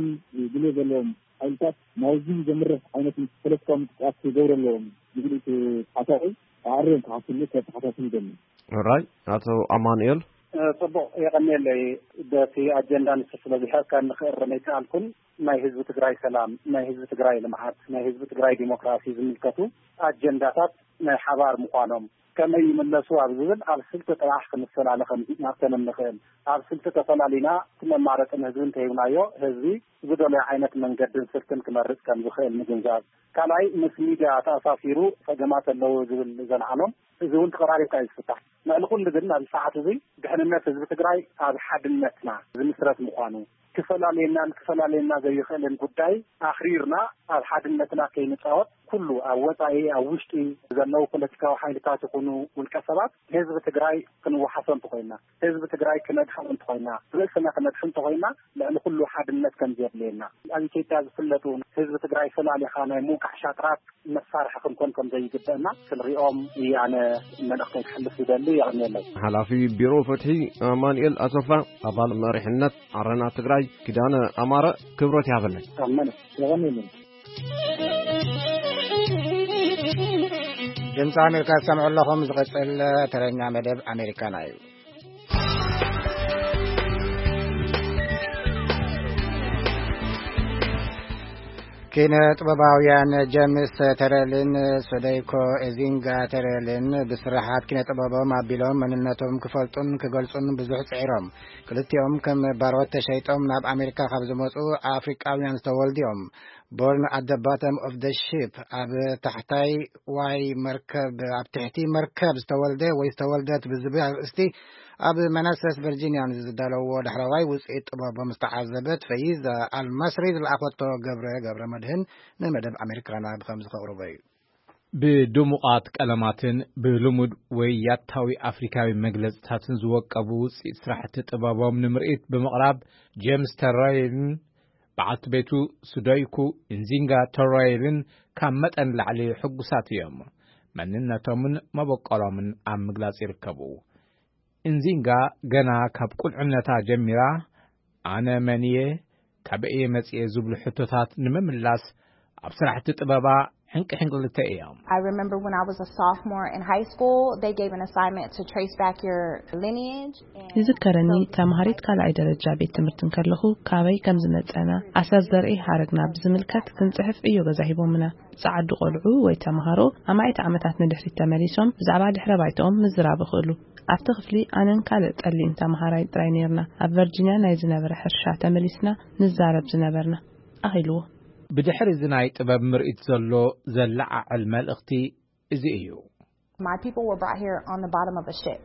ድልዮ ዘለዎም ሓይልታት ናብዚ ዘምርሕ ዓይነት ፖለቲካዊ ምንቅስቃስ ክገብሩ ኣለዎም ዝብል እቲ ሓሳብ ኣዕርዮም ክሓስሉ ከተሓሳስብ ይደሊ። ራይ ኣቶ ኣማኑኤል። ጽቡቕ፣ የቐንየለይ። በቲ ኣጀንዳ ንሱ ስለ ዝሕቀን ንኽእርም ኣይከኣልኩን። ናይ ህዝቢ ትግራይ ሰላም፣ ናይ ህዝቢ ትግራይ ልምዓት፣ ናይ ህዝቢ ትግራይ ዲሞክራሲ ዝምልከቱ ኣጀንዳታት ናይ ሓባር ምዃኖም ከመይ ይምለሱ ኣብ ዝብል ኣብ ስልቲ ጥራሕ ክንፈላለ ከም መሰለን ንኽእል። ኣብ ስልቲ ተፈላሊና እቲ መማረፂ ንህዝቢ እንተሂብናዮ ህዝቢ ዝደለዮ ዓይነት መንገድን ስልትን ክመርፅ ከም ዝኽእል ምግንዛብ። ካልኣይ ምስ ሚድያ ተኣሳሲሩ ፀገማት ኣለዉ ዝብል ዘልዓሎም እዚ እውን ተቐራሪብካ እዩ ዝፍታሕ። ልዕሊ ኩሉ ግን ኣብዚ ሰዓት እዚ ድሕንነት ህዝቢ ትግራይ ኣብ ሓድነትና ዝምስረት ምዃኑ ክፈላልየናን ክፈላልየና ዘይኽእልን ጉዳይ ኣኽሪርና ኣብ ሓድነትና ከይንፃወት ኩሉ ኣብ ወፃኢ ኣብ ውሽጢ ዘለዉ ፖለቲካዊ ሓይልታት ይኹኑ ውልቀ ሰባት ህዝቢ ትግራይ ክንወሓሶ እንተኾይንና ህዝቢ ትግራይ ክነድሕኖ እንተኾይንና ርእስና ክነድሕን እንተኾይንና ልዕሊ ኩሉ ሓድነት ከም ዘድልየና ኣብ ኢትዮጵያ ዝፍለጡ ህዝቢ ትግራይ ፈላሊኻ ናይ ምውቃዕ ሻጥራት መሳርሒ ክንኮን ከም ዘይግበአና ክንሪኦም እዩ ኣነ መልእኽተይ ክሕልፍ ዝደሊ። የቐንየለይ። ሓላፊ ቢሮ ፍትሒ ኣማኑኤል ኣሰፋ፣ ኣባል መሪሕነት ዓረና ትግራይ ኪዳነ ኣማረ ክብረት ይሃበለይ። ኣመነ። የቐንየለይ። ድምፂ ኣሜሪካ ትሰምዑ ኣለኹም። ዝቕፅል ተረኛ መደብ ኣሜሪካና እዩ። ኪነ ጥበባውያን ጀምስ ተረልን ሶደይኮ ኤዚንጋ ተረልን ብስራሓት ኪነ ጥበቦም ኣቢሎም መንነቶም ክፈልጡን ክገልጹን ብዙሕ ጽዒሮም። ክልቲኦም ከም ባሮት ተሸይጦም ናብ ኣሜሪካ ካብ ዝመጹ ኣፍሪቃውያን ዝተወልዱ እዮም። Born at the bottom of the ship፣ ኣብ ታሕታይ ዋይ መርከብ፣ ኣብ ትሕቲ መርከብ ዝተወልደ ወይ ዝተወልደት ብዝብል ኣርእስቲ ኣብ መናሰስ ቨርጂኒያ ንዝዳለዎ ዳሕረዋይ ውጽኢት ጥበቦም ዝተዓዘበት ፈይዛ ኣልማስሪ ዝለኣኸቶ ገብረ ገብረ መድህን ንመደብ ኣሜሪካና ብኸምዚ ከቕርቦ እዩ። ብድሙቓት ቀለማትን ብልሙድ ወይ ያታዊ ኣፍሪካዊ መግለጽታትን ዝወቀቡ ውጽኢት ስራሕቲ ጥበቦም ንምርኢት ብምቕራብ፣ ጄምስ ተራይልን በዓልቲ ቤቱ ሱዶይኩ ኢንዚንጋ ተራይልን ካብ መጠን ላዕሊ ሕጉሳት እዮም። መንነቶምን መበቆሎምን ኣብ ምግላጽ ይርከቡ። ኢንዚንጋ ገና ካብ ቁልዕነታ ጀሚራ፣ "ኣነ መን እየ? ካበይ እየ መጽየ?" ዝብሉ ሕቶታት ንምምላስ ኣብ ስራሕቲ ጥበባ ሕንቂ ሕንቅልተ እዮም። I remember when I was a sophomore in high school, they gave an assignment to trace back your lineage. And ይዝከረኒ፣ so ተማሃሪት ካልኣይ ደረጃ ቤት ትምህርቲ እንከለኹ፣ ካበይ ከም ዝመጸና፣ ኣሰር ዘርኢ ሃረግና ብዝምልከት ክንጽሕፍ ዕዮ ገዛ ሂቦምና። ጸዓዱ ቆልዑ ወይ ተማሃሮ ኣማኢት ዓመታት ንድሕሪት ተመሊሶም ብዛዕባ ድሕረ ባይታኦም ምዝራብ ይኽእሉ። ኣብቲ ክፍሊ ኣነን ካልእ ጸሊም ተማሃራይ ጥራይ ነይርና። ኣብ ቨርጂንያ ናይ ዝነበረ ሕርሻ ተመሊስና ንዛረብ ዝነበርና፣ ኣኺልዎ። ብድሕሪ እዚ ናይ ጥበብ ምርኢት ዘሎ ዘለዓዕል መልእኽቲ እዚ እዩ። My people were brought here on the bottom of a ship,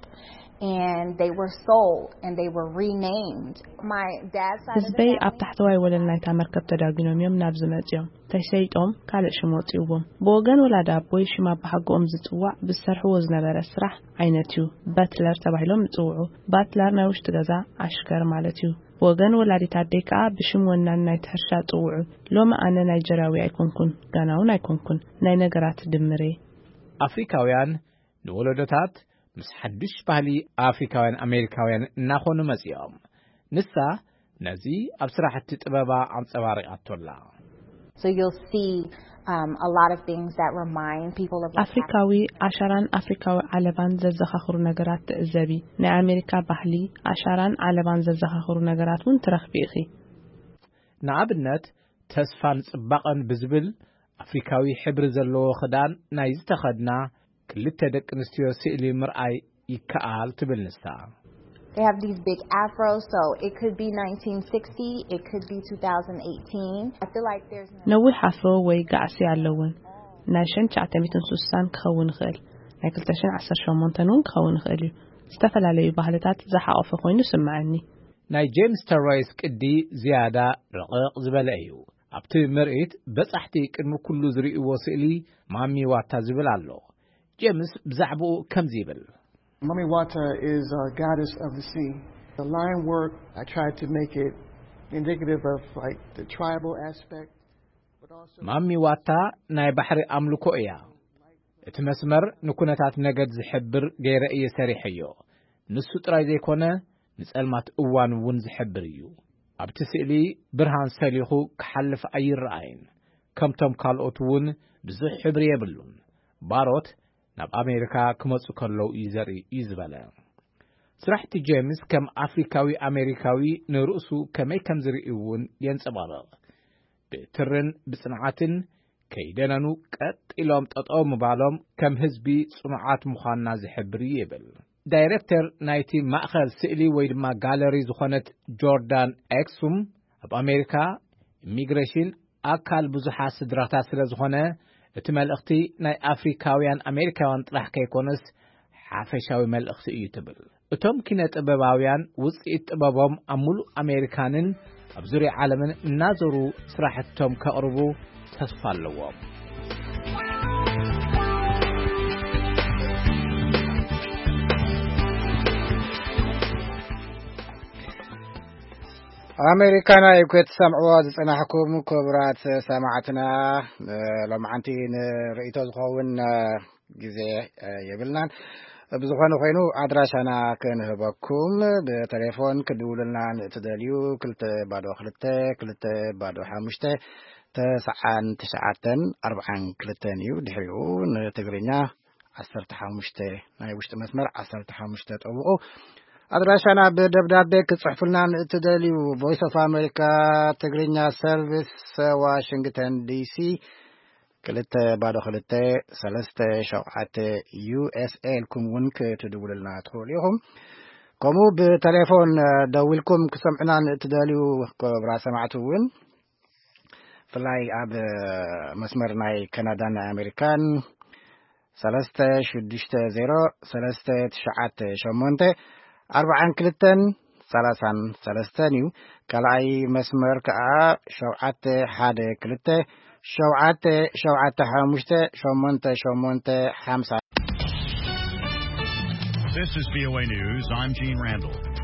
and they were sold and they were renamed. My dad's side of the ህዝበይ ኣብ family ታሕተዋይ ወለል ናይታ መርከብ ተዳጊኖም እዮም ናብዚ መጺኦም። ተሸይጦም ካልእ ሽም ወጺእዎም። ብወገን ወላዲ ኣቦይ ሽም ኣባሓጎኦም ዝጽዋዕ ብዝሰርሕዎ ዝነበረ ስራሕ ዓይነት እዩ። በትለር ተባሂሎም ይጽውዑ። ባትለር ናይ ውሽጢ ገዛ ኣሽከር ማለት እዩ። ብወገን ወላዲት ኣደይ ከኣ ብሽም ወናን ናይቲ ሕርሻ ጽውዑ። ሎሚ ኣነ ናይጀርያዊ ኣይኮንኩን፣ ጋናውን ኣይኮንኩን። ናይ ነገራት ድምር እየ። ኣፍሪካውያን ንወለዶታት ምስ ሓዱሽ ባህሊ ኣፍሪካውያን ኣሜሪካውያን እናኾኑ መጺኦም። ንሳ ነዚ ኣብ ስራሕቲ ጥበባ ኣንጸባሪቓቶላ። So you'll see, um, a lot of things that remind people of what ኣፍሪካዊ ኣሻራን ኣፍሪካዊ ዓለባን ዘዘኻኽሩ ነገራት ትዕዘቢ። ናይ ኣሜሪካ ባህሊ፣ ኣሻራን ዓለባን ዘዘኻኽሩ ነገራት እውን ትረኽቢ ኢኺ። ንኣብነት፣ ተስፋን ጽባቐን ብዝብል ኣፍሪካዊ ሕብሪ ዘለዎ ክዳን ናይ ዝተኸድና ክልተ ደቂ ኣንስትዮ ስእሊ ምርኣይ ይከኣል ትብል ንሳ። They have these big afros, so it could be nineteen sixty, it could be two thousand eighteen. I feel like there's no ነዊሕ ኣፍሮ ወይ ጋዕሲ ኣለውን። ናይ ሸን ትሽዓተ ሚእትን ስሳን ክኸውን ይኽእል፣ ናይ ክልተ ሽሕን ዓሰርተ ሸሞንተን እውን ክኸውን ይኽእል እዩ። ዝተፈላለዩ ባህልታት ዝሓቖፈ ኮይኑ ይስምዓኒ። ናይ ጄምስ ተሮይስ ቅዲ ዝያዳ ረቐቕ ዝበለ እዩ። ኣብቲ ምርኢት በጻሕቲ ቅድሚ ኩሉ ዝርእይዎ ስእሊ ማሚ ዋታ ዝብል ኣሎ። ጄምስ ብዛዕባኡ ከምዚ ይብል። Mami Wata is a goddess of the sea. The line work, I tried to make it indicative of, like, the tribal aspect, but also ማሚ ዋታ ናይ ባሕሪ ኣምልኮ እያ። እቲ መስመር ንኩነታት ነገድ ዝሕብር ገይረ እየ ሰሪሐዮ። ንሱ ጥራይ ዘይኮነ፣ ንጸልማት እዋን እውን ዝሕብር እዩ። ኣብቲ ስእሊ ብርሃን ሰሊኹ ክሓልፍ ኣይረኣይን። ከምቶም ካልኦት እውን ብዙሕ ሕብሪ የብሉን። ባሮት ናብ ኣሜሪካ ክመጹ ከለዉ እዩ ዘርኢ እዩ ዝበለ። ስራሕቲ ጄምስ ከም ኣፍሪካዊ ኣሜሪካዊ ንርእሱ ከመይ ከም ዝርኢ እውን የንጸባርቕ። ብትርን ብጽንዓትን ከይደነኑ ቀጥ ኢሎም ጠጠው ምባሎም ከም ህዝቢ ጽኑዓት ምዃንና ዝሕብር እዩ ይብል። ዳይሬክተር ናይቲ ማእኸል ስእሊ ወይ ድማ ጋለሪ ዝኾነት ጆርዳን ኤክሱም፣ ኣብ ኣሜሪካ ኢሚግሬሽን ኣካል ብዙሓት ስድራታት ስለ ዝኾነ፣ እቲ መልእኽቲ ናይ ኣፍሪካውያን ኣሜሪካውያን ጥራሕ ከይኮነስ ሓፈሻዊ መልእኽቲ እዩ ትብል። እቶም ኪነ ጥበባውያን ውጽኢት ጥበቦም ኣብ ሙሉእ ኣሜሪካንን ኣብ ዙርያ ዓለምን እናዞሩ ስራሕቶም ከቕርቡ ተስፋ ኣለዎም። ኣሜሪካና እዩ ክትሰምዕዎ ዝጸናሕኩም ክቡራት ሰማዕትና፣ ሎማዓንቲ ንርእይቶ ዝኸውን ግዜ የብልናን። ብዝኾነ ኮይኑ ኣድራሻና ክንህበኩም፣ ብቴሌፎን ክድውሉልና ንእትደልዩ ክልተ ባዶ ክልተ ክልተ ባዶ ሓሙሽተ ተስዓን ትሽዓተን ኣርብዓን ክልተን እዩ። ድሕሪኡ ንትግርኛ ዓሰርተ ሓሙሽተ ናይ ውሽጢ መስመር ዓሰርተ ሓሙሽተ ጠብቑ። ኣድራሻና ብደብዳቤ ክትጽሕፉልና ንእትደልዩ፣ ቮይስ ኦፍ ኣሜሪካ ትግርኛ ሰርቪስ፣ ዋሽንግተን ዲሲ፣ ክልተ ባዶ ክልተ ሰለስተ ሸውዓተ ዩ ኤስ ኤ ኢልኩም እውን ክትድውሉልና ትኽእሉ ኢኹም። ከምኡ ብቴሌፎን ደዊልኩም ክሰምዑና ንእትደልዩ ክቡራት ሰማዕቲ እውን፣ ብፍላይ ኣብ መስመር ናይ ካናዳን ኣሜሪካን፣ ሰለስተ ሽዱሽተ ዜሮ ሰለስተ ትሽዓተ ሸሞንተ ኣርባዓን ክልተን ሰላሳን ሰለስተን እዩ። ካልኣይ መስመር ከዓ ሸውዓተ ሓደ ክልተ ሸውዓተ ሸውዓተ ሓሙሽተ ሸሞንተ ሸሞንተ ሓምሳ። This is V O A News. I'm Gene Randall.